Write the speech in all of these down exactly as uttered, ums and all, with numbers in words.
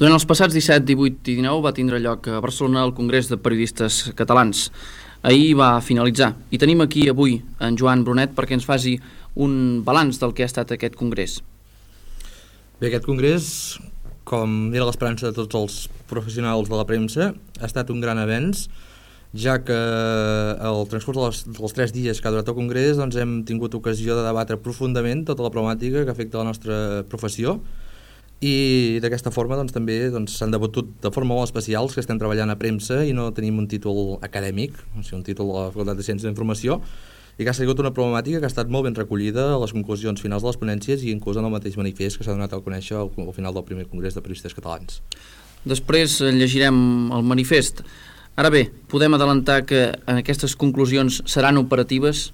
Durant els passats disset, divuit i dinou va tindre lloc a Barcelona el Congrés de Periodistes Catalans. Ahir va finalitzar i tenim aquí avui en Joan Brunet perquè ens faci un balanç del que ha estat aquest congrés. Bé, aquest congrés, com era l'esperança de tots els professionals de la premsa, ha estat un gran avenç, ja que al transcurs dels, dels tres dies que ha durat el congrés doncs hem tingut ocasió de debatre profundament tota la problemàtica que afecta la nostra professió, i d'aquesta forma doncs, també doncs, s'han debatut de forma molt especial que estem treballant a premsa i no tenim un títol acadèmic, o sigui, un títol de la Facultat de Ciències d'Informació, i que ha sigut una problemàtica que ha estat molt ben recollida a les conclusions finals de les ponències i inclús en el mateix manifest que s'ha donat a conèixer al, al final del primer Congrés de Periodistes Catalans. Després llegirem el manifest. Ara bé, podem adelantar que aquestes conclusions seran operatives?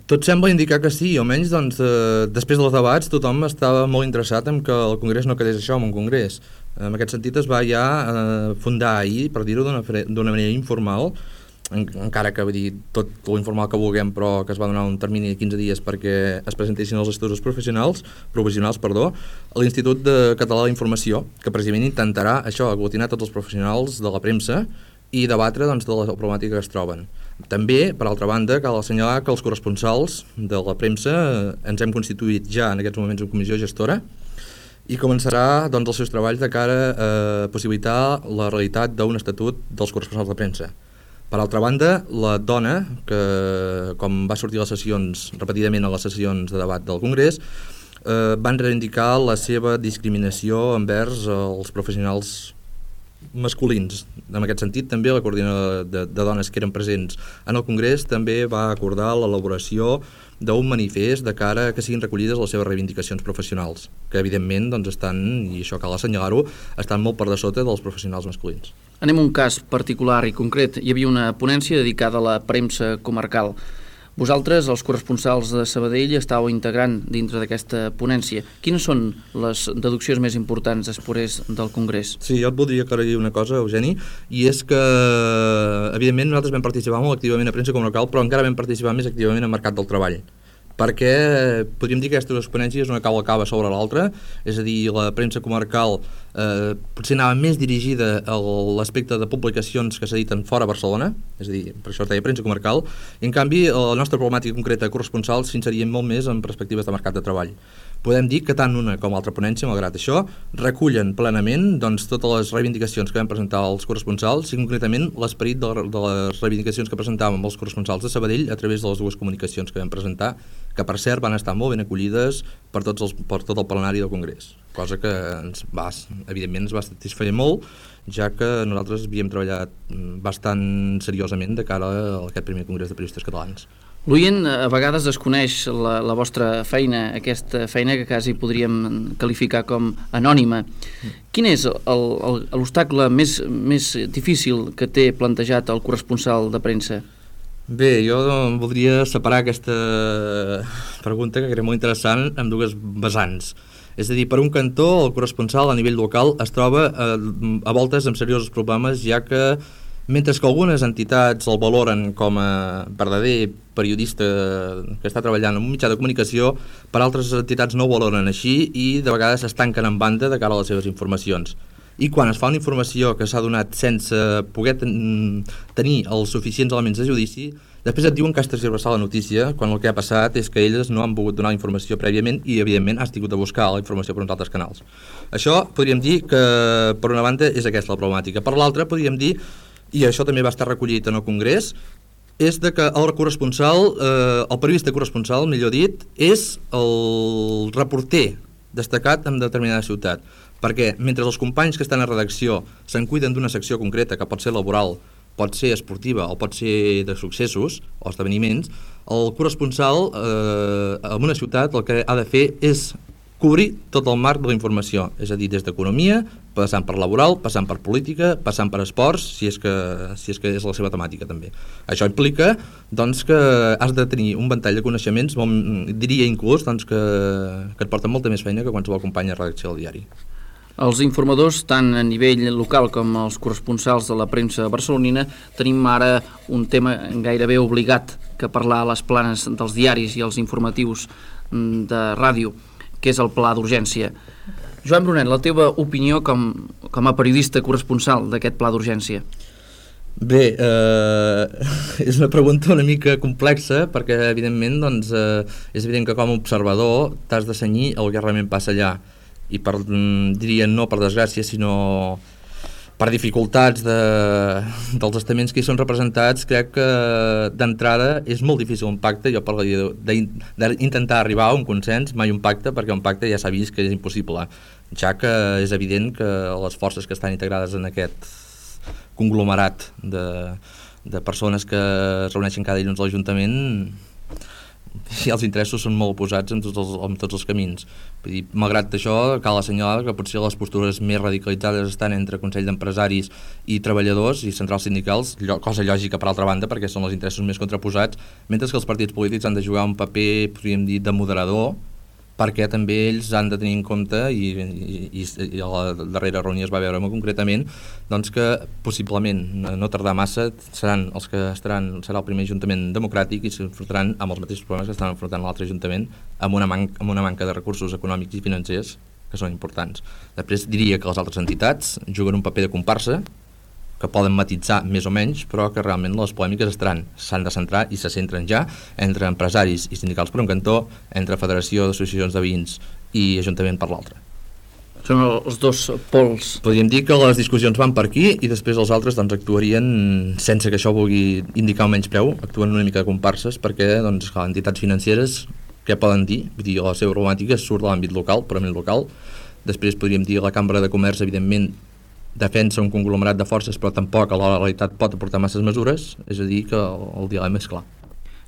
Tot sembla indicar que sí, almenys doncs, eh, després dels debats tothom estava molt interessat en que el Congrés no quedés això, en un Congrés. En aquest sentit es va ja eh, fundar ahir, per dir-ho d'una manera informal, en, encara que vull dir, tot l'informal que vulguem, però que es va donar un termini de quinze dies perquè es presentessin els estudis professionals, professionals perdó, a l'Institut de Català d'Informació, que precisament intentarà això, aglutinar tots els professionals de la premsa i debatre doncs, de la problemàtica que es troben. També, per altra banda, cal assenyalar que els corresponsals de la premsa ens hem constituït ja en aquests moments en comissió gestora i començarà doncs, els seus treballs de cara a possibilitar la realitat d'un estatut dels corresponsals de premsa. Per altra banda, la dona, que com va sortir a les sessions, repetidament a les sessions de debat del Congrés, eh, van reivindicar la seva discriminació envers els professionals masculins. En aquest sentit, també la coordinadora de, de dones que eren presents en el Congrés també va acordar l'elaboració d'un manifest de cara a que siguin recollides les seves reivindicacions professionals, que evidentment doncs, estan, i això cal assenyalar-ho, estan molt per de sota dels professionals masculins. Anem a un cas particular i concret. Hi havia una ponència dedicada a la premsa comarcal. Vosaltres, els corresponsals de Sabadell, estàveu integrant dintre d'aquesta ponència. Quines són les deduccions més importants després del Congrés? Sí, jo et voldria aclarir una cosa, Eugeni, i és que, evidentment, nosaltres vam participar molt activament a premsa comarcal, però encara vam participar més activament al mercat del treball, perquè podríem dir que aquestes ponències una cau acaba sobre l'altra, és a dir, la premsa comarcal eh, potser anava més dirigida a l'aspecte de publicacions que s'editen fora Barcelona, és a dir, per això es deia premsa comarcal, i en canvi la nostra problemàtica concreta de corresponsals s'inserien molt més en perspectives de mercat de treball. Podem dir que tant una com l'altra ponència, malgrat això, recullen plenament doncs, totes les reivindicacions que vam presentar als corresponsals i concretament l'esperit de, de les reivindicacions que presentàvem els corresponsals de Sabadell a través de les dues comunicacions que vam presentar, que per cert van estar molt ben acollides per, tots els, per tot el plenari del Congrés, cosa que ens va, evidentment ens va satisfer molt, ja que nosaltres havíem treballat bastant seriosament de cara a aquest primer Congrés de Periodistes Catalans. L'oient a vegades desconeix la, la vostra feina, aquesta feina que quasi podríem qualificar com anònima. Quin és l'obstacle més, més difícil que té plantejat el corresponsal de premsa? Bé, jo voldria separar aquesta pregunta, que era molt interessant, amb dues vessants. És a dir, per un cantó, el corresponsal a nivell local es troba a, a voltes amb seriosos problemes, ja que mentre que algunes entitats el valoren com a verdader periodista que està treballant en un mitjà de comunicació, per altres entitats no ho valoren així i de vegades es tanquen en banda de cara a les seves informacions. I quan es fa una informació que s'ha donat sense poder ten tenir els suficients elements de judici, després et diuen que has tergiversat la notícia, quan el que ha passat és que elles no han pogut donar informació prèviament i, evidentment, has tingut de buscar la informació per uns altres canals. Això podríem dir que, per una banda, és aquesta la problemàtica. Per l'altra, podríem dir, i això també va estar recollit en el Congrés, és de que el corresponsal, eh, el periodista corresponsal, millor dit, és el reporter destacat en determinada ciutat. Perquè mentre els companys que estan a redacció se'n cuiden d'una secció concreta, que pot ser laboral, pot ser esportiva o pot ser de successos o esdeveniments, el corresponsal eh, en una ciutat el que ha de fer és cobrir tot el marc de la informació, és a dir, des d'economia, passant per laboral, passant per política, passant per esports, si és que, si és, que és la seva temàtica també. Això implica doncs, que has de tenir un ventall de coneixements, molt, diria inclús doncs, que, que et porten molta més feina que qualsevol company de redacció del diari. Els informadors, tant a nivell local com els corresponsals de la premsa barcelonina, tenim ara un tema gairebé obligat que parlar a les planes dels diaris i els informatius de ràdio, que és el pla d'urgència. Joan Brunet, la teva opinió com, com a periodista corresponsal d'aquest pla d'urgència? Bé, eh, és una pregunta una mica complexa perquè, evidentment, doncs, eh, és evident que com a observador t'has de cenyir el que realment passa allà. I per, diria no per desgràcia, sinó per dificultats de, dels estaments que hi són representats, crec que d'entrada és molt difícil un pacte. Jo parlaria d'intentar arribar a un consens, mai un pacte, perquè un pacte ja s'ha vist que és impossible, ja que és evident que les forces que estan integrades en aquest conglomerat de, de persones que es reuneixen cada dilluns a l'Ajuntament, i els interessos són molt oposats en tots els, en tots els camins. Vull dir, malgrat això, cal assenyalar que potser les postures més radicalitzades estan entre Consell d'Empresaris i treballadors i centrals sindicals, cosa lògica per altra banda, perquè són els interessos més contraposats, mentre que els partits polítics han de jugar un paper, podríem dir, de moderador, perquè també ells han de tenir en compte, i, i, i a la darrera reunió es va veure molt concretament, doncs que possiblement, no tardar massa, seran els que estaran, serà el primer ajuntament democràtic i s'enfrontaran amb els mateixos problemes que estan enfrontant l'altre ajuntament, amb una, man amb una manca de recursos econòmics i financers que són importants. Després diria que les altres entitats juguen un paper de comparsa, que poden matitzar més o menys, però que realment les polèmiques estaran, s'han de centrar i se centren ja entre empresaris i sindicals per un cantó, entre federació d'associacions de veïns i ajuntament per l'altre. Són els dos pols. Podríem dir que les discussions van per aquí i després els altres doncs, actuarien sense que això vulgui indicar un menyspreu, actuen una mica de comparses perquè doncs, les entitats financeres, què poden dir? Vull dir, la seva problemàtica surt de l'àmbit local, purament local. Després podríem dir la Cambra de Comerç, evidentment, defensa un conglomerat de forces, però tampoc a la realitat pot aportar masses mesures, és a dir, que el, el dilema és clar.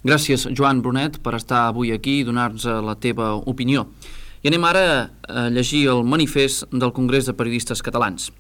Gràcies, Joan Brunet, per estar avui aquí i donar-nos la teva opinió. I anem ara a llegir el manifest del Congrés de Periodistes Catalans.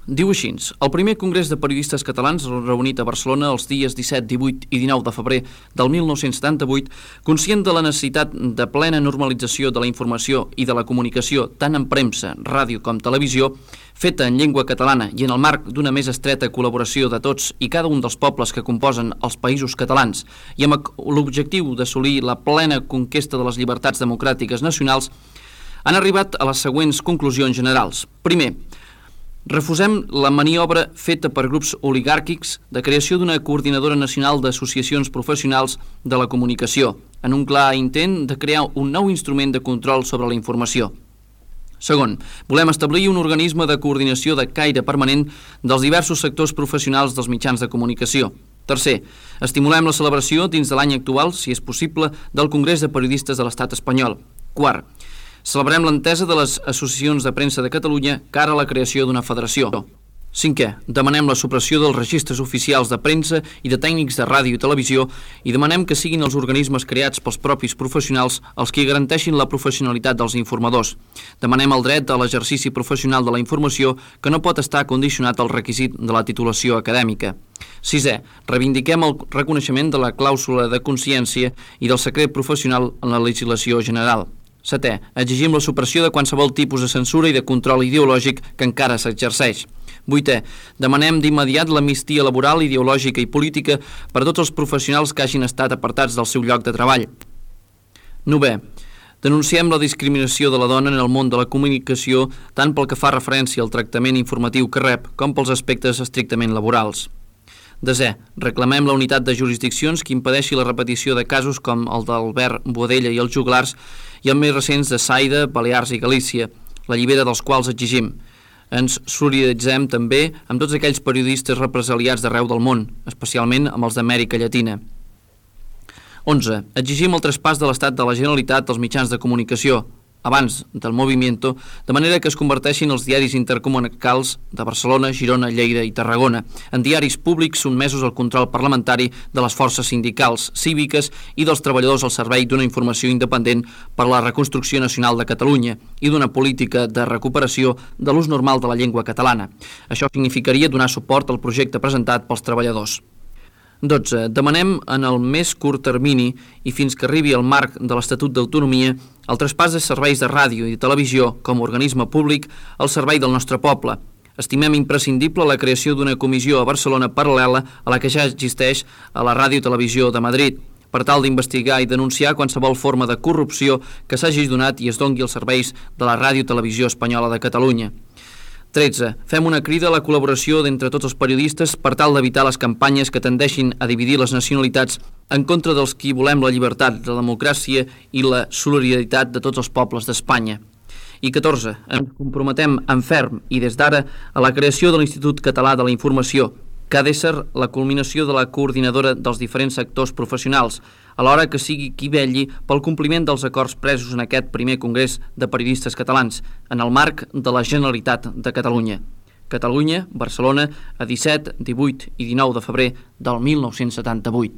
Diu així: el primer Congrés de Periodistes Catalans, reunit a Barcelona els dies disset, divuit i dinou de febrer del mil nou-cents setanta-vuit, conscient de la necessitat de plena normalització de la informació i de la comunicació, tant en premsa, ràdio com televisió, feta en llengua catalana i en el marc d'una més estreta col·laboració de tots i cada un dels pobles que composen els països catalans i amb l'objectiu d'assolir la plena conquesta de les llibertats democràtiques nacionals, han arribat a les següents conclusions generals. Primer, refusem la maniobra feta per grups oligàrquics de creació d'una coordinadora nacional d'associacions professionals de la comunicació, en un clar intent de crear un nou instrument de control sobre la informació. Segon, volem establir un organisme de coordinació de caire permanent dels diversos sectors professionals dels mitjans de comunicació. Tercer, estimulem la celebració dins de l'any actual, si és possible, del Congrés de Periodistes de l'Estat espanyol. Quart, celebrem l'entesa de les associacions de premsa de Catalunya cara a la creació d'una federació. Cinquè, demanem la supressió dels registres oficials de premsa i de tècnics de ràdio i televisió i demanem que siguin els organismes creats pels propis professionals els que garanteixin la professionalitat dels informadors. Demanem el dret a l'exercici professional de la informació que no pot estar condicionat al requisit de la titulació acadèmica. Sisè, reivindiquem el reconeixement de la clàusula de consciència i del secret professional en la legislació general. Setè, exigim la supressió de qualsevol tipus de censura i de control ideològic que encara s'exerceix. Vuitè, demanem d'immediat l'amnistia laboral, ideològica i política per a tots els professionals que hagin estat apartats del seu lloc de treball. Novè, denunciem la discriminació de la dona en el món de la comunicació tant pel que fa referència al tractament informatiu que rep com pels aspectes estrictament laborals. Desè, reclamem la unitat de jurisdiccions que impedeixi la repetició de casos com el d'Albert Boadella i els juglars i els més recents de Saida, Balears i Galícia, la llibera dels quals exigim. Ens solidaritzem també amb tots aquells periodistes represaliats d'arreu del món, especialment amb els d'Amèrica Llatina. onze. Exigim el traspàs de l'Estat de la Generalitat als mitjans de comunicació, abans del Movimiento, de manera que es converteixin els diaris intercomunicals de Barcelona, Girona, Lleida i Tarragona en diaris públics sotmesos al control parlamentari de les forces sindicals, cíviques i dels treballadors al servei d'una informació independent per la reconstrucció nacional de Catalunya i d'una política de recuperació de l'ús normal de la llengua catalana. Això significaria donar suport al projecte presentat pels treballadors. dotze. Demanem en el més curt termini i fins que arribi al marc de l'Estatut d'Autonomia el traspàs de serveis de ràdio i televisió com a organisme públic al servei del nostre poble. Estimem imprescindible la creació d'una comissió a Barcelona paral·lela a la que ja existeix a la Ràdio i Televisió de Madrid. per tal d'investigar i denunciar qualsevol forma de corrupció que s'hagi donat i es dongui als serveis de la Ràdio Televisió Espanyola de Catalunya. tretze. Fem una crida a la col·laboració d'entre tots els periodistes per tal d'evitar les campanyes que tendeixin a dividir les nacionalitats en contra dels qui volem la llibertat, la democràcia i la solidaritat de tots els pobles d'Espanya. I catorze. Ens comprometem en ferm i des d'ara a la creació de l'Institut Català de la Informació, que ha d'ésser la culminació de la coordinadora dels diferents sectors professionals, alhora que sigui qui vetlli pel compliment dels acords presos en aquest primer Congrés de Periodistes Catalans, en el marc de la Generalitat de Catalunya. Catalunya, Barcelona, a disset, divuit i dinou de febrer del mil nou-cents setanta-vuit.